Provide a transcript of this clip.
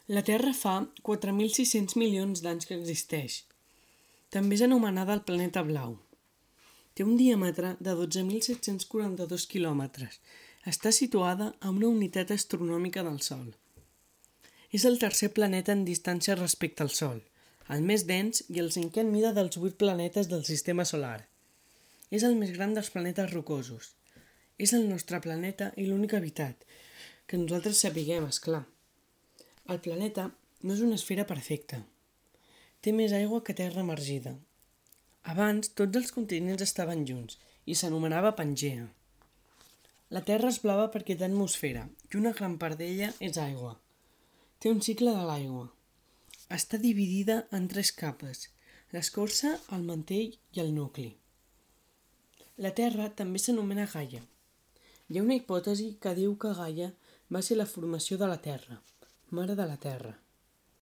La Terra fa 4.600 milions d'anys que existeix. També és anomenada el planeta blau. Té un diàmetre de 12.742 quilòmetres. Està situada a una unitat astronòmica del Sol. És el tercer planeta en distància respecte al Sol, el més dens i el cinquè en mida dels 8 planetes del sistema solar. És el més gran dels planetes rocosos. És el nostre planeta i l'únic habitat, que nosaltres sapiguem, esclar. El planeta no és una esfera perfecta. Té més aigua que terra emergida. Abans, tots els continents estaven junts i s'anomenava Pangea. La Terra és blava perquè té atmosfera i una gran part d'ella és aigua. Té un cicle de l'aigua. Està dividida en 3 capes: l'escorça, el mantell i el nucli. La Terra també s'anomena Gaia. Hi ha una hipòtesi que diu que Gaia va ser la formació de la Terra, mare de la Terra.